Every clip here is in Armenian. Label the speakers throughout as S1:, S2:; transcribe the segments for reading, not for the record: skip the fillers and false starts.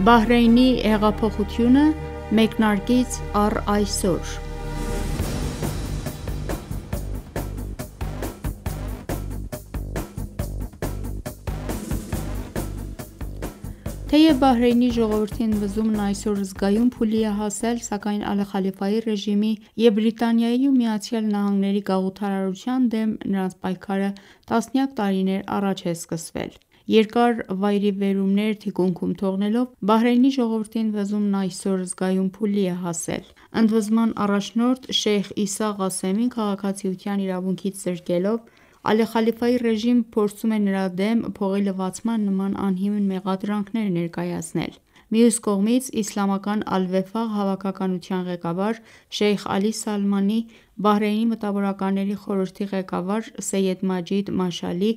S1: Բահրեյնի հեղափոխությունը մեկնարկից առ այսօր։ Թեև Բահրեյնի ժողովրդի ընդվզումն այսօր զգայուն փուլի է հասել, սակայն Ալի Խալիֆայի ռեժիմի և Բրիտանիայի ու ԱՄՆ-ի գաղութարարության դեմ նրանց պայքարը տասնյակ տարիներ առաջ է սկսվել։ Երկար վայրիվերումներ թիկունքում թողնելով, Բահրեյնի ժողովրդի ընդվզումն այսօր զգայուն փուլի է հասել։ Ընդվզման առաջնորդ Շեյխ Իսա Ղասեմին քաղաքացիության իրավունքից զրկելով, Ալի Խալիֆայի ռեժիմը փորձում է նրա դեմ փողի լվացման նման անհիմն մեղադրանքներ ներկայացնել։ Մյուս կողմից, Իսլամական Ալ-Վեֆաղ հավաքականության ղեկավար Շեյխ Ալի Սալմանի, Բահրեյնի մտավորականների խորհրդի ղեկավար Սեյեդ Մաջիդ Մաշալի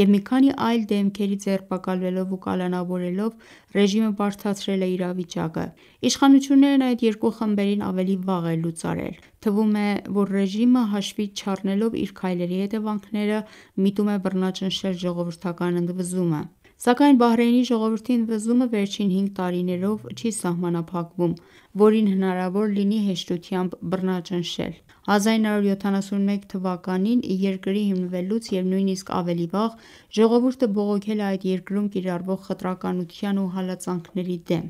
S1: և մի քանի այլ դեմքերի ձերբակալվելով ու կալանավորելով, ռեժիմը բարդացրել է իրավիճակը։ Իշխանություններն այդ երկու խմբերին ավելի վաղ են լուծարել։ Թվում է, որ ռեժիմը հաշվից չառնելով իր քայլերի հետևանքները, միտում է բռնաճնշել ժողովրդական ընդվզումը։ Սակայն Բահրեյնի ժողովրդի ընդվզումը վերջին 5 տարիներով չի սահմանափակվում, որին հնարավոր լինի հեշտությամբ բռնաճնշել։ 1971 թվականին երկրի հիմնվելուց և նույնիսկ ավելի վաղ, ժողովուրդը բողոքել է այդ երկրում կիրառվող խտրականության ու հալածանքների դեմ։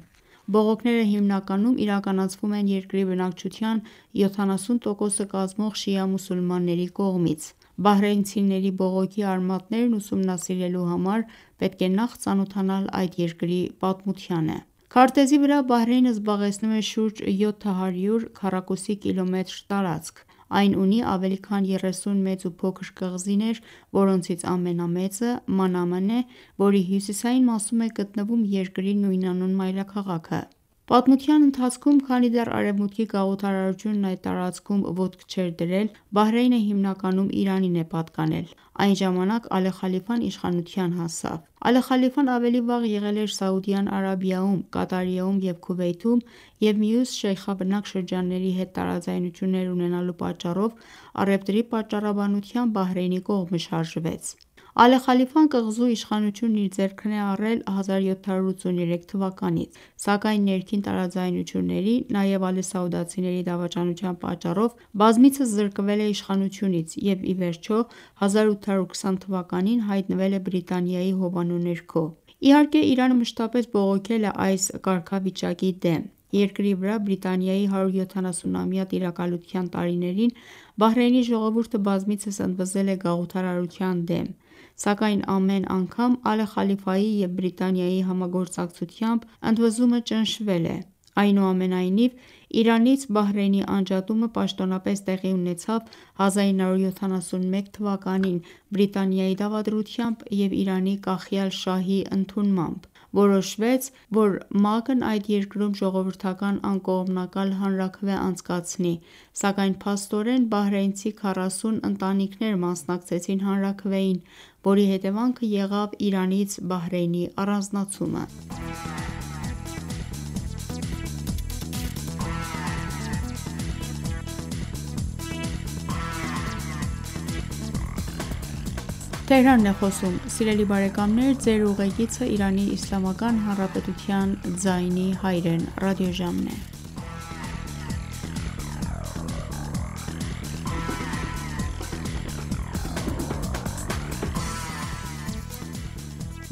S1: Բողոքները հիմնականում իրականացվում են երկրի բնակչության 70%-ը կազմող շիա մուսուլմանների կողմից։ Բահրեյնցիների բողոքի արմատներն ուսումնասիրելու համար պետք է նախ ծանոթանալ այդ երկրի պատմությանը։ Քարտեզի վրա Բահրեյնը զբաղեցնում է շուրջ 700 քառակուսի կիլոմետր տարածք։ Այն ունի ավելի քան 30 մեծ ու փոքր կղզիներ, որոնցից ամենամեծը Մանամն է, որի հյուսիսային մասում է գտնվում երկրի նույնանուն մայրաքաղաքը։ Պատմության ընթացքում, քանի դեռ Արևմուտքի գաղութարարությունն այդ տարածքում ոտք չէր դրել, Բահրեյնը հիմնականում Իրանին է պատկանել։ Այն ժամանակ Ալի Խալիֆան իշխանության հասավ։ Ալի Խալիֆան ավելի վաղ եղել էր Սաուդյան Արաբիայում, Կատարիում և Քուվեյթում և մյուս շեյխաբնակ շրջանների հետ տարաձայնություններ ունենալու պատճառով առևտրի պատճառաբանությամբ Բահրեյնի կողմը շարժվեց։ Ալի Խալիֆան կղզու իշխանությունն իր ձեռքն է առել 1783 թվականից, սակայն ներքին տարաձայնությունների, նաև ալիսաուդացիների դավաճանության պատճառով բազմիցս զրկվել է իշխանությունից և ի վերջո 1820 թվականին հայտնվել է Բրիտանիայի հովանու ներքո։ Իհարկե, Իրանը մշտապես բողոքել է այս կարգավիճակի դեմ։ Երկրի վրա Բրիտանիայի 170-ամյա տիրակալության տարիներին Բահրեյնի ժողովուրդը բազմիցս ընդվզել է գաղութարարության դեմ, սակայն ամեն անգամ Ալի Խալիֆայի և Բրիտանիայի համագործակցությամբ ընդվզումը ճնշվել է։ Այնուամենայնիվ, Իրանից Բահրեյնի անջատումը պաշտոնապես տեղի ունեցավ 1971 թվականին Բրիտանիայի դավադրությամբ և Իրանի կախյալ շահի ընդունմամբ։ Որոշվեց, որ ՄԱԿ-ն այդ երկրում ժողովրդական անկողմնակալ հանրաքվե անցկացնի, սակայն փաստորեն բահրեյնցի 40 ընտանիքներ մասնակցեցին հանրաքվեին, որի հետևանքը եղավ Իրանից Բահրեյնի առանձնացումը։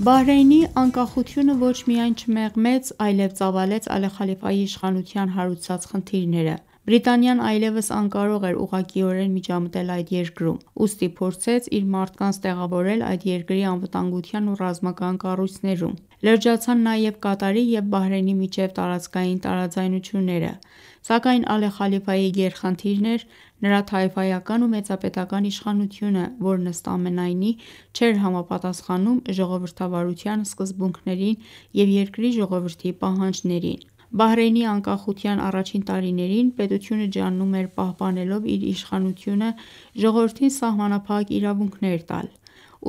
S1: Բահրեյնի անկախությունը ոչ միայն չմեղմեց, այլև ծավալեց Ալի Խալիֆայի իշխանության հարուցած խնդիրները։ Բրիտանիան այլևս անկարող էր ուղղակիորեն միջամտել այդ երկրում, ուստի փորձեց իր մարդկանց տեղավորել այդ երկրի անվտանգության ու ռազմական կառույցներում։ Լրջացան նաև Կատարի և Բահրեյնի միջև տարածքային տարաձայնությունները։ Սակայն Ալի Խալիֆայի գերխնդիրն էր նրա թայֆայական ու մեծապետական իշխանությունը, որն ըստ ամենայնի չէր համապատասխանում ժողովրդավարության սկզբունքներին և երկրի ժողովրդի պահանջներին։ Բահրեյնի անկախության առաջին տարիներին պետությունը ջաննում էր պահպանելով իր իշխանությունը ժողովրդին սահմանափակ իրավունքներ տալ։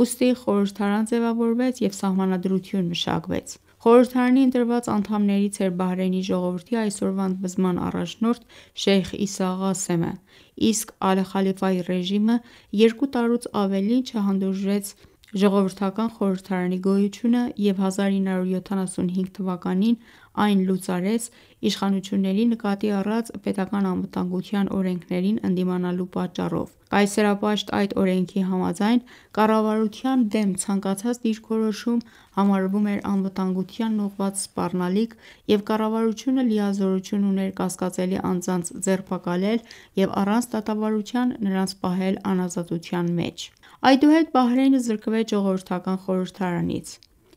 S1: Ուստի խորհրդարան ձևավորվեց և սահմանադրություն մշակվեց։ Խորհրդարանի ընտրված անդամներից էր Բահրեյնի ժողովրդի այսօրվա ընդվզման առաջնորդ Շեյխ Իսա Ղասեմը, իսկ Ալի Խալիֆայի ռեժիմը 2 տարուց ավելին չհանդուրժեց ժողովրդական խորհրդարանի գոյությունը և 1975 թվականին Այն լուծարեց իշխանությունների նկատի առած պետական անվտանգության օրենքներին ընդդիմանալու պատճառով: Կայսերապաշտ այդ օրենքի համաձայն կառավարության դեմ ցանկացած դիրքորոշում համարվում էր անվտանգությանն ուղղված սպառնալիք և կառավարությունը լիազորություն ուներ կասկածելի անձանց ձերբակալել և առանց դատավարության նրանց պահել անազատության մեջ: Այդուհետ Բահրեյնը զրկվեց ժողովրդական խորհրդարանից: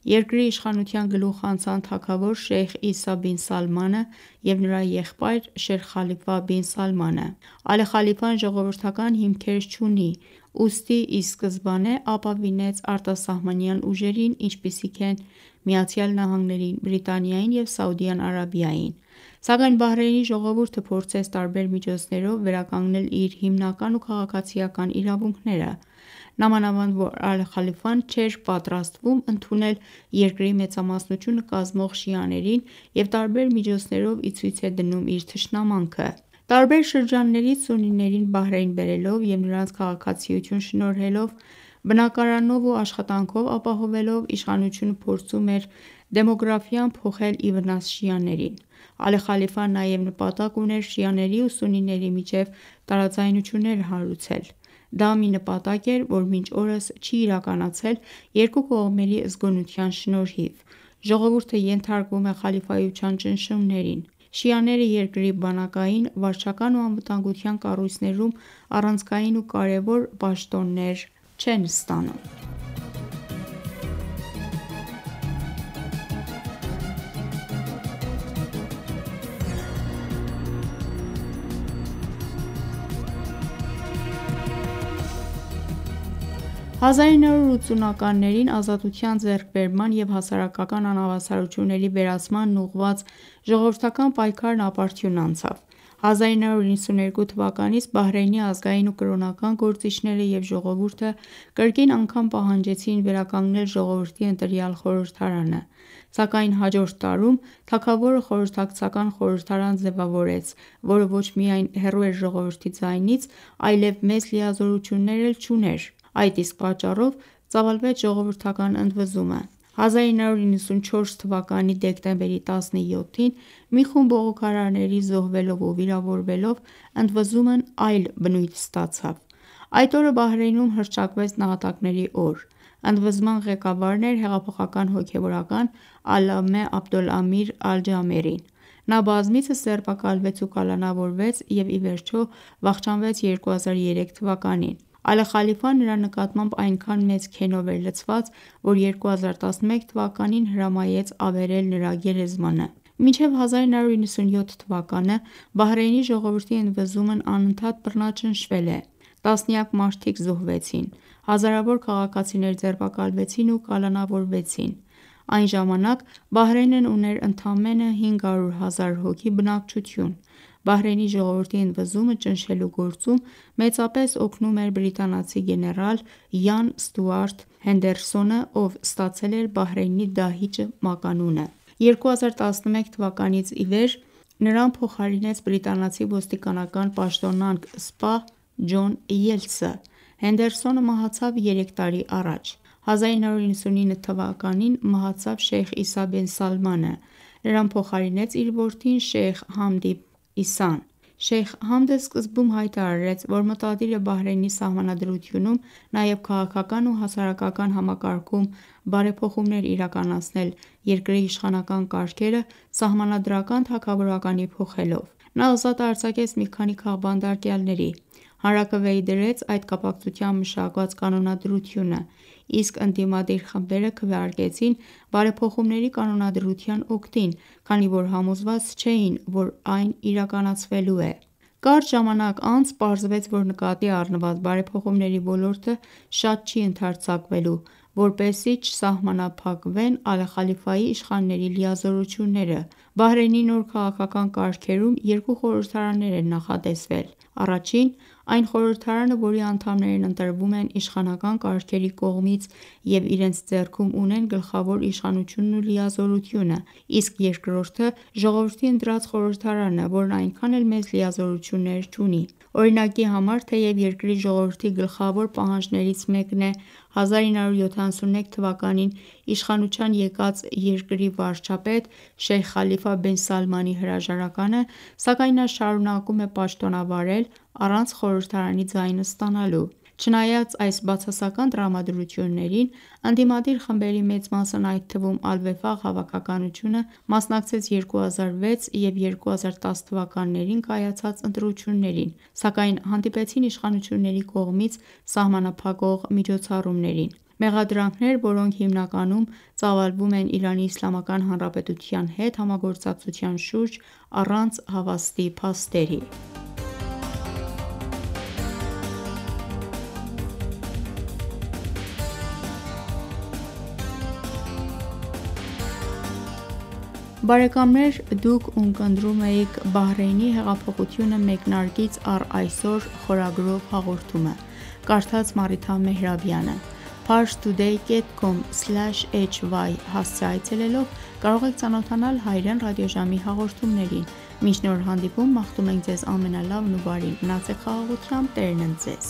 S1: Երկրի իշխանության գլուխ անցան թագավոր Շեյխ Իսա բին Սալմանը և նրա եղբայր Շեր Խալիֆա բին Սալմանը: Ալի Խալիֆան ժողովրդական հիմքեր չունի, ուստի ի սկզբանե ապավինեց արտասահմանյան ուժերին, ինչպիսիք են ԱՄՆ-ին, Բրիտանիային և Սաուդյան Արաբիային: Սակայն Բահրեյնի ժողովուրդը փորձեց տարբեր միջոցներով վերականգնել իր հիմնական ու քաղաքացիական իրավունքները: Նամանավանդ որ Ալի Խալիֆան չէր պատրաստվում ընդունել երկրի մեծամասնությունը կազմող շիաներին և տարբեր միջոցներով ի ցույց է դնում իր թշնամանքը: Տարբեր շրջաններից սուննիներին Բահրեյն բերելով և նրանց քաղաքացիություն շնորհելով, բնակարանով ու աշխատանքով ապահովելով, իշխանությունը փորձում էր դեմոգրաֆիան փոխել ի վնաս շիաներին: Ալի Խալիֆան նաև նպատակ ուներ շիաների ու սուննիների միջև տարաձայնություններ հարուցել: Դա մի նպատակ էր, որ մինչ օրս չի իրականացել երկու կողմերի զգոնության շնորհիվ: Ժողովուրդը ենթարկվում է խալիֆայության ճնշումներին: Շիաները երկրի բանակային, վարչական ու անվտանգության կառույցներում առանցքային ու կարևոր պաշտոններ չեն ստանում: 1980-ականներին ազատության ձեռքբերման և հասարակական անհավասարությունների վերացմանն ուղղված ժողովրդական պայքարն ապարդյուն անցավ: 1992 թվականից Բահրեյնի ազգային ու կրոնական գործիչները և ժողովուրդը կրկին անգամ պահանջեցին վերականգնել ժողովրդի ընտրյալ խորհրդարանը: Սակայն հաջորդ տարում թագավորը խորհրդակցական խորհրդարան ձևավորեց, որը ոչ միայն հեռու էր ժողովրդի ձայնից, այլև մեծ լիազորություններ էլ չուներ: Այդ իսկ պատճառով ծավալվեց ժողովրդական ընդվզումը: 1994 թվականի դեկտեմբերի 17-ին մի խումբ բողոքարարների զոհվելով ու վիրավորվելով ընդվզումն այլ բնույթ ստացավ: Այդ օրը Բահրեյնում հռչակվեց նահատակների օր: Ընդվզման ղեկավարն էր հեղափոխական հոգևորական Ալլամե Աբդոլամիր Ալ-Ջամերին: Նա բազմիցս ձերբակալվեց ու կալանավորվեց և ի վերջո վախճանվեց 2003 թվականին: Ալի Խալիֆան նրա նկատմամբ այնքան մեծ քենով էր լցված, որ 2011 թվականին հրամայեց ավերել նրա գերեզմանը: Մինչև 1997 թվականը Բահրեյնի ժողովրդի ընդվզումն անընդհատ բռնաճնշվել է: Տասնյակ մարդիկ զոհվեցին, հազարավոր քաղաքացիներ ձերբակալվեցին ու կալանավորվեցին: Այն ժամանակ Բահրեյնն ուներ ընդամենը 500 հազար հոգի բնակչություն: Բահրեյնի ժողովրդի ընդվզումը ճնշելու գործում մեծապես օգնում էր բրիտանացի գեներալ Յան Ստյուարտ Հենդերսոնը, ով ստացել էր Բահրեյնի դահիճ մականունը: 2011 թվականից ի վեր նրան փոխարինեց բրիտանացի ոստիկանական պաշտոնանկ սպա Ջոն Ելցը: Հենդերսոնը մահացավ 3 տարի առաջ: 1999 թվականին մահացավ Շեյխ Իսա բին Սալմանը: Նրան փոխարինեց իր որդին Շեյխ Համդի Իսան: Շեյխ Համդը սկզբում հայտարարեց, որ մտադիր է Բահրեյնի սահմանադրությունում նաև քաղաքական ու հասարակական համակարգում բարեփոխումներ իրականացնել երկրի իշխանական կարգերը սահմանադրական թագավորականի փոխելով: Նա ազատ արձակեց մի քանի քաղբանդակյալների: Հանրաքվեի դրեց այդ կապակցությամբ մշակված կանոնադրությունը, իսկ ընդդիմադիր խմբերը քվեարկեցին բարեփոխումների կանոնադրության օգտին, քանի որ համոզված չէին, որ այն իրականացվելու է: Կարճ ժամանակ անց պարզվեց, որ նկատի առնված բարեփոխումների ոլորտը շատ չի ընդարձակվելու, որպեսզի չսահմանափակվեն Ալի Խալիֆայի իշխանների լիազորությունները: Բահրեյնի նոր քաղաքական կարգերում երկու խորհրդարաններ են նախատեսվել: Առաջին այն խորհրդարանը, որի անդամներն ընտրվում են իշխանական կարգերի կողմից և իրենց ձեռքում ունեն գլխավոր իշխանությունն ու լիազորությունը, իսկ երկրորդը ժողովրդի ընտրած խորհրդարանը, որն այնքան էլ մեծ լիազորություններ չունի: Օրինակի համար, թեև երկրի ժողովրդի գլխավոր պահանջներից մեկն է 1971 թվականին իշխանության եկած երկրի վարչապետ Շեյխ Խալիֆա Խալիֆա բեն Սալմանի հրաժարականը, սակայն նա շարունակում է պաշտոնավարել առանց խորհրդարանի ձայնը ստանալու: Չնայած այս բացասական տրամադրություններին, ընդդիմադիր խմբերի մեծ մասն, այդ թվում Ալ-Վեֆաղ հավաքականությունը, մասնակցեց 2006 և 2010 թվականներին կայացած ընտրություններին, սակայն հանդիպեցին իշխանությունների կողմից սահմանափակող միջոցառումներին: Մեղադրանքներ, որոնք հիմնականում ծավալվում են ԻԻՀ հետ համագործակցության շուրջ առանց հավաստի փաստերի: Բարեկամներ դուք ունկնդրում էիք «Բահրեյնի հեղափոխությունը մեկնարկից առ այսօր» խորագրով հաղորդումը, կարդաց Մարիթա Մեհրաբյանը: Parstoday.com/hy հասցե այցելելով կարող եք ծանոթանալ հայրեն ռադիոժամի հաղորդումներին: Մինչ նոր հանդիպում մաղթում ենք ձեզ ամենալավն ու բարին: Մնացեք խաղաղությամբ, Տերն ընդ ձեզ: